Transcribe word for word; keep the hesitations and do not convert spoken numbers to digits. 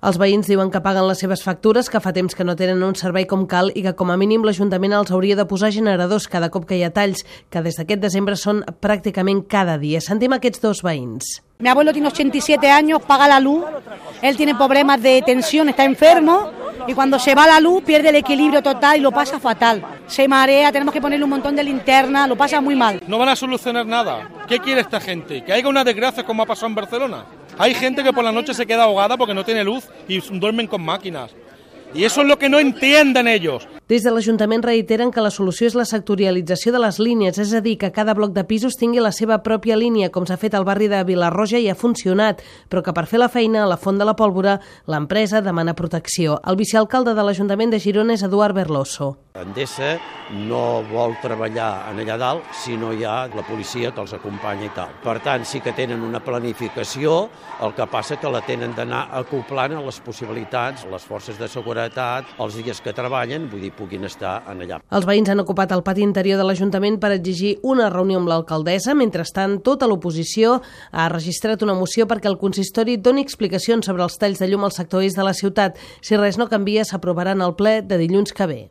Els veïns diuen que paguen les seves factures, que fa temps que no tenen un servei com cal i que com a mínim l'Ajuntament els hauria de posar generadors cada cop que hi ha talls, que des d'aquest desembre són pràcticament cada dia. Sentim aquests dos veïns. Mi abuelo tiene ochenta y siete años, paga la luz, él tiene problemas de tensión, está enfermo y cuando se va la luz pierde el equilibrio total y lo pasa fatal. Se marea, tenemos que ponerle un montón de linterna, lo pasa muy mal. No van a solucionar nada. ¿Qué quiere esta gente? ¿Que haya una desgracia como ha pasado en Barcelona? Hay gente que por la noche se queda ahogada porque no tiene luz y duermen con máquinas. I això és el que no entienden ells. Des de l'Ajuntament reiteren que la solució és la sectorialització de les línies, és a dir, que cada bloc de pisos tingui la seva pròpia línia, com s'ha fet al barri de Vilarroja i ha funcionat, però que per fer la feina a la Font de la Pólvora l'empresa demana protecció. El vicealcalde de l'Ajuntament de Girona és Eduard Berloso. Endesa no vol treballar en allà dalt si no hi ha la policia que els acompanya i tal. Per tant, sí que tenen una planificació, el que passa que la tenen d'anar acoplant a les possibilitats, les forces de seguretat, els dies que treballen, vull dir, puguin estar en allà. Els veïns han ocupat el pati interior de l'Ajuntament per exigir una reunió amb l'alcaldessa. Mentrestant, tota l'oposició ha registrat una moció perquè el consistori doni explicacions sobre els talls de llum al sector est de la ciutat. Si res no canvia, s'aprovarà en el ple de dilluns que ve.